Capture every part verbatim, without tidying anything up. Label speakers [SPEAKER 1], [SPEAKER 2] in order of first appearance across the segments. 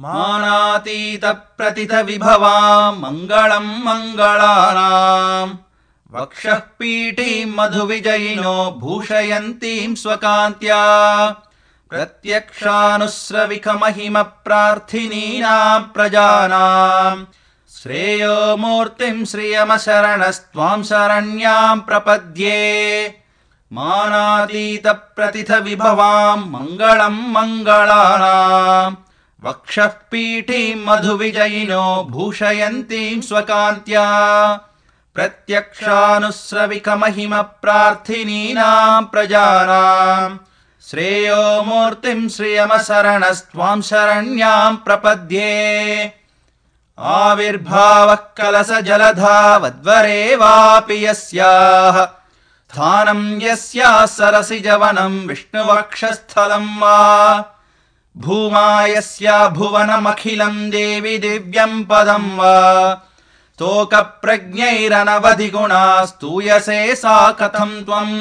[SPEAKER 1] मानातीत प्रतित विभवाम् मङ्गलम् मङ्गलानाम् वक्षः पीठीम् मधुविजयिनो भूषयन्तीम् स्वकान्त्या प्रत्यक्षानुस्रविकमहिम प्रार्थिनीनाम् प्रजानाम् श्रेयो मूर्तिम् श्रियमशरणस्त्वाम् शरण्याम् प्रपद्ये मानातीत प्रतिथ विभवाम् मङ्गलम् मङ्गलानाम् वक्षः पीठीम् मधुविजयिनो भूषयन्तीम् स्वकान्त्या प्रत्यक्षानुस्रविकमहिम प्रार्थिनीनाम् प्रजानाम् श्रेयो मूर्तिम् श्रियमशरणस्त्वाम् शरण्याम् प्रपद्ये आविर्भावः कलश जलधावद्वरे वापि यस्याः स्थानम् यस्याः सरसिजवनम् विष्णुवक्षस्थलम् वा भूमा यस्या भुवनमखिलम् देवि दिव्यम् पदम् वा स्तोकप्रज्ञैरनवधिगुणा स्तूयसे सा कथम् त्वम्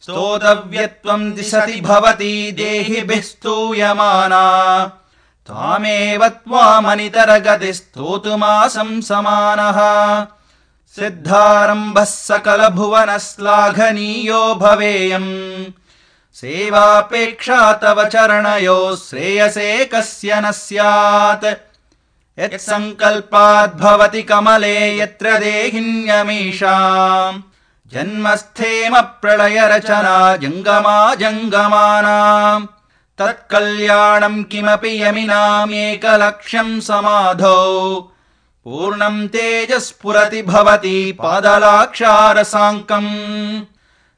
[SPEAKER 1] स्तोतव्यत्वम् दिशति भवति देहिभिः स्तूयमाना त्वामेव त्वामनितरगतिस्तोतुमासं समानः सिद्धारम्भः सकलभुवनश्लाघनीयो भवेयम् सेवापेक्षा तव चरणयोः श्रेयसे कस्य न स्यात् यत्सङ्कल्पाद्भवति कमले यत्र देहिन्यमीषाम् जन्मस्थेम प्रलयरचना जङ्गमा जङ्गमानाम् तत्कल्याणम् किमपि यमिनामेकलक्ष्यम् समाधौ पूर्णम् तेजस्फुरति भवति पादलाक्षारसाङ्कम्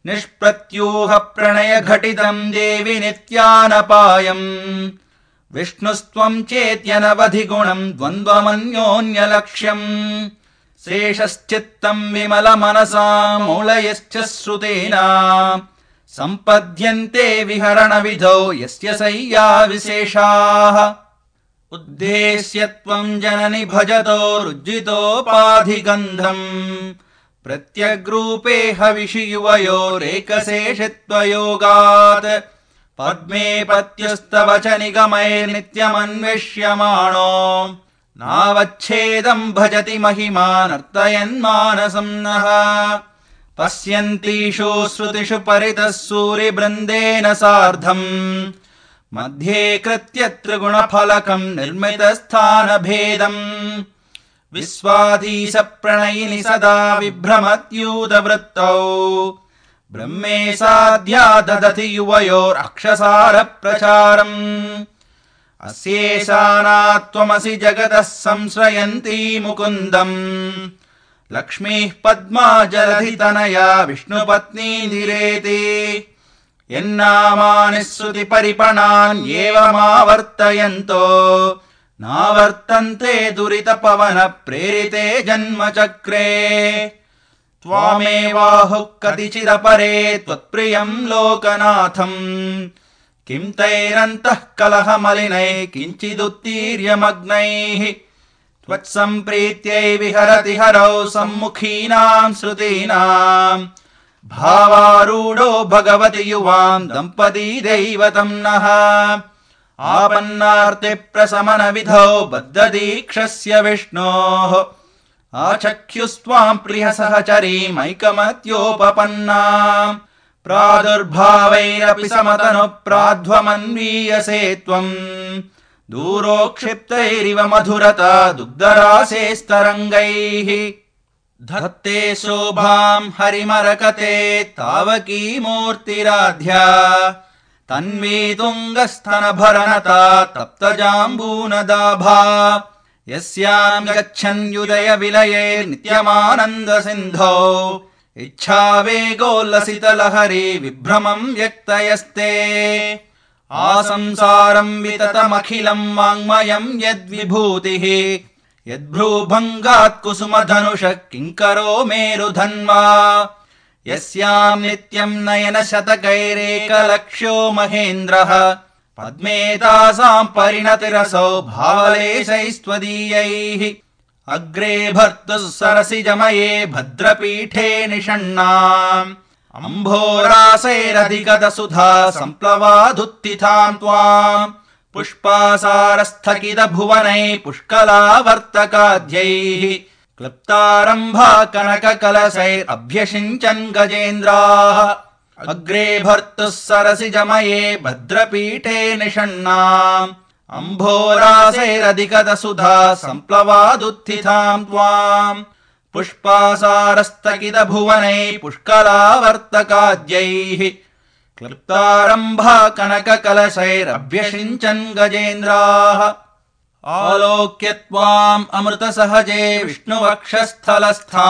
[SPEAKER 1] निष्प्रत्यूह प्रणय घटितम् देवि नित्यानपायम् विष्णुस्त्वम् चेत्यनवधिगुणम् द्वन्द्वमन्योन्यलक्ष्यम् शेषश्चित्तम् विमलमनसा मौलयश्च श्रुतेना सम्पद्यन्ते विहरणविधौ यस्य शय्या विशेषाः उद्देश्य त्वम् जननि भजतो रुज्जितोपाधिगन्धम् प्रत्यग्रूपे हविषि युवयोरेकशेषित्वयोगात् पद्मे पत्युस्तव च निगमैर्नित्यमन्विष्यमाणो नावच्छेदम् भजति महिमानर्तयन्मानसं नः पश्यन्तीषु श्रुतिषु परितः सूरिवृन्देन सार्धम् मध्ये कृत्य त्रिगुणफलकम् निर्मितस्थानभेदम् विश्वाधीश प्रणयिनि सदा विभ्रमत्यूतवृत्तौ ब्रह्मे साध्या ददति युवयोरक्षसार प्रचारम् अस्येषाना त्वमसि जगतः संश्रयन्ती मुकुन्दम् लक्ष्मीः पद्मा जलधितनया विष्णुपत्नीधिरेति यन्नामानि श्रुतिपरिपणान्येवमावर्तयन्तो नावर्तन्ते दुरितपवन प्रेरिते जन्मचक्रे त्वामेवाहुः कतिचिदपरे त्वत्प्रियम् लोकनाथम् किम् तैरन्तः कलहमलिनैः किञ्चिदुत्तीर्यमग्नैः त्वत्सम्प्रीत्यै विहरति हरौ सम्मुखीनाम् श्रुतीनाम् भावारूढो भगवति युवाम् दम्पती दैवतम् नः आपन्नार्ते प्रशमन विधौ बद्धदीक्षस्य विष्णोः आचख्युस्त्वाम् प्रिय सहचरीमैकमत्योपपन्नाम् प्रादुर्भावैरपि समतनु प्राध्वमन्वीयसे त्वम् दूरोक्षिप्तैरिव मधुरता दुग्धरासेस्तरङ्गैः धत्ते शोभाम् हरिमरकते तावकी मूर्तिराध्या तन्वी तुङ्गस्तनभरनता तप्तजाम्बूनदाभा यस्याम् गच्छन्युदय विलये नित्यमानन्द सिन्धौ इच्छावेगोल्लसितलहरी विभ्रमम् व्यक्तयस्ते आसंसारम् विततमखिलम् वाङ्मयम् यद्विभूतिः यद्भ्रूभङ्गात् कुसुमधनुषः किङ्करो मेरुधन्वा यस्याम् नित्यम् नयन शतकैरेकलक्ष्यो महेन्द्रः पद्मेतासाम् परिणतिरसौ भावलेशैस्त्वदीयैः अग्रे भर्तुः सरसिजमये भद्रपीठे निषण्णाम् अम्भोरासैरधिगतसुधा सम्प्लवादुत्थिताम् त्वाम् पुष्पासारस्थगितभुवनैः पुष्कलावर्तकाद्यैः क्लृप्तारम्भा कनककलशैरभ्यषिञ्चन् गजेन्द्राः अग्रे भर्तुः सरसिजमये भद्रपीठे निषण्णाम् अम्भोरासैरधिकतसुधा सम्प्लवादुत्थिताम् त्वाम् पुष्पासारस्थगितभुवनैः पुष्कलावर्तकाद्यैः क्लृप्तारम्भा कनककलशैरभ्यषिञ्चन् गजेन्द्राः आलोक्य त्वाम् अमृतसहजे विष्णुवक्षस्थलस्था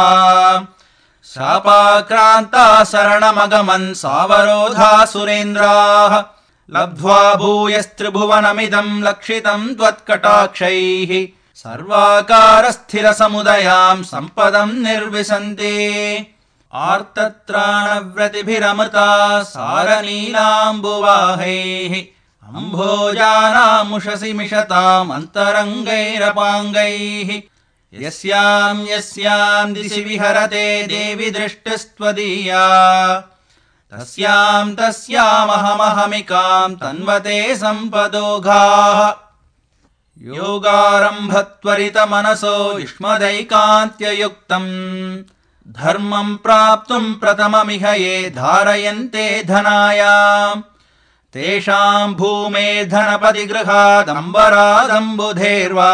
[SPEAKER 1] शापाक्रान्ता शरणमगमन् सावरोधा सुरेन्द्राः लब्ध्वा भूयस्त्रिभुवनमिदम् लक्षितम् त्वत्कटाक्षैः सर्वाकारस्थिरसमुदयाम् सम्पदम् निर्विशन्ति आर्तत्राणव्रतिभिरमृता सारनीलाम्बुवाहैः अम्भोजानामुषसि मिषताम् अन्तरङ्गैरपाङ्गैः यस्याम् यस्याम् दिशि विहरते देवि दृष्टिस्त्वदीया तस्याम् तस्यामहमहमिकाम् तन्वते सम्पदोघाः योगारम्भत्वरितमनसो युष्मदैकान्त्ययुक्तम् धर्मम् प्राप्तुम् प्रथममिह ये धारयन्ते धनायाम् तेषाम् भूमेर्धनपति गृहादम्बरादम्बुधेर्वा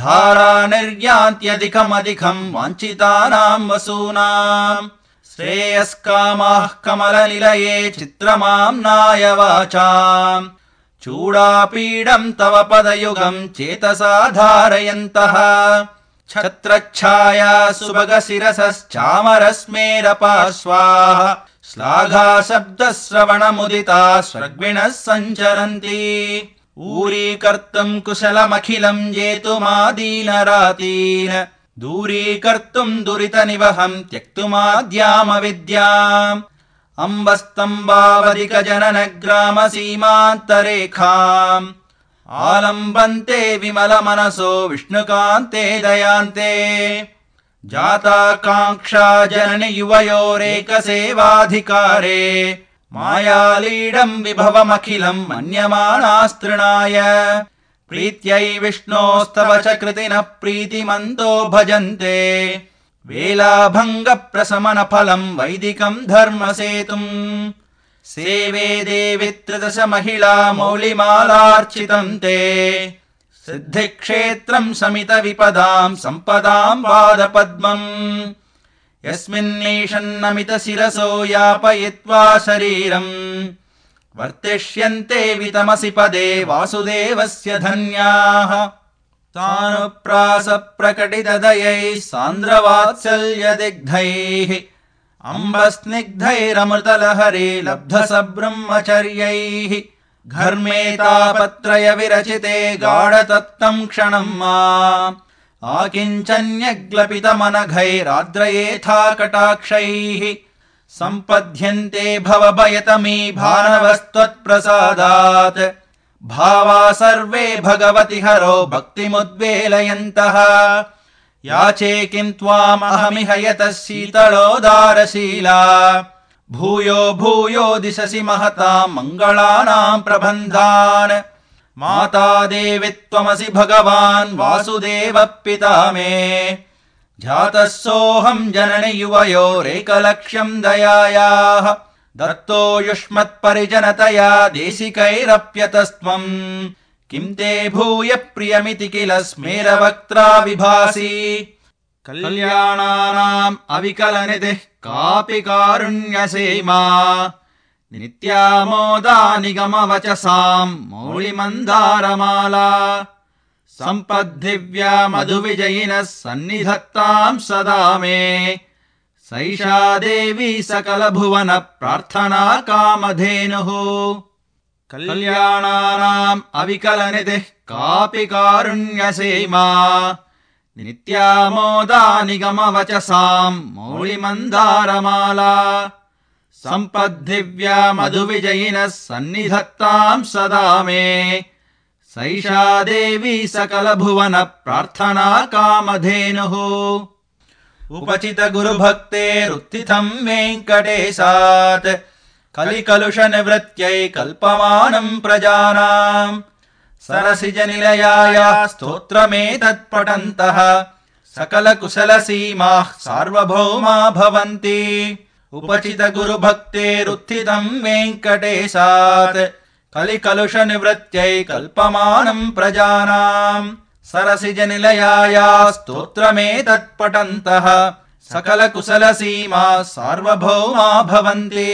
[SPEAKER 1] धारा निर्यान्त्यधिकमधिकम् वाञ्छितानाम् वसूनाम् श्रेयस्कामाः कमलनिलये चित्रमाम्नाय वाचाम् चूडापीडम् तव पदयुगम् चेतसा धारयन्तः छत्रच्छाया सुभगशिरसश्चामरस्मेरपार्श्वाः श्लाघाशब्दश्रवणमुदिता स्वर्गिणः सञ्चरन्ति ऊरीकर्तुम् कुशलमखिलम् जेतुमादीनरातीन् दूरीकर्तुम् दुरितनिवहम् त्यक्तुमाद्यामविद्याम् अम्बस्तम्भावधिकजननग्रामसीमान्तरेखाम् आलम्बन्ते विमलमनसो विष्णुकान्ते दयान्ते जाताकाङ्क्षा जननि युवयोरेकसेवाधिकारे मायालीडम् विभवमखिलम् मन्यमानास्तृणाय प्रीत्यै विष्णोस्तव च कृतिनः प्रीतिमन्तो भजन्ते वेलाभङ्गप्रशमनफलम् वैदिकम् धर्मसेतुम् सेवे देवि त्रिदश महिला मौलिमालार्चितम् ते सिद्धिक्षेत्रम् शमितविपदाम् सम्पदाम् वादपद्मम् यस्मिन्नीषन्नमितशिरसो यापयित्वा शरीरम् वर्तिष्यन्ते वितमसि पदे वासुदेवस्य धन्याः तानुप्रासप्रकटितदयैः सान्द्रवात्सल्यदिग्धैः अम्बस्निग्धैरमृतलहरे लब्धसब्रह्मचर्यैः घर्मेतापत्रय विरचिते गाढतप्तम् क्षणम् मा आकिञ्चन्यग्लपितमनघैराद्रयेथा कटाक्षैः सम्पद्यन्ते भवभयतमी भानवस्त्वत्प्रसादात् भावा सर्वे भगवति हरो भक्तिमुद्वेलयन्तः याचे किम् त्वामहमिह यतः शीतलोदारशीला भूयो भूयो दिशसि महताम् मङ्गलानाम् प्रबन्धान् माता देवि त्वमसि भगवान् वासुदेवः पिता मे जातः सोऽहम् जननि युवयोरेकलक्ष्यम् दयायाः दत्तो युष्मत्परिजनतया देशिकैरप्यतस्त्वम् किम् ते भूय प्रियमिति किल स्मेरवक्त्रा विभासि कल्याणानाम् अविकलनिधिः कापि कारुण्यसीमा नित्यामोदा निगमवचसाम् मौलिमन्दारमाला सम्पद्दिव्या मधुविजयिनः सन्निधत्ताम् सदा मे सैषा देवी सकलभुवन प्रार्थना कामधेनुः कल्याणानाम् अविकलनिधिः कापि कारुण्यसीमा नित्यामोदा निगमवचसाम् मौलिमन्दारमाला सम्पद्दिव्या मधुविजयिनः सन्निधत्ताम् सदा मे सैषा देवी सकलभुवन प्रार्थना कामधेनुः उपचित गुरुभक्तेरुत्थितम् वेङ्कटेशात् कलिकलुष निवृत्यै कल्पमानम् प्रजानाम् सरसिजनिलयाया स्तोत्रमेतत्पठन्तः सकलकुशलसीमाः सार्वभौमा भवन्ति उपचित गुरुभक्तेरुत्थितम् वेङ्कटेशात् कलिकलुष निवृत्त्यै कल्पमानम् प्रजानाम् सरसिजनिलयाया स्तोत्रमेतत्पठन्तः सकलकुशलसीमाः सार्वभौमा भवन्ति।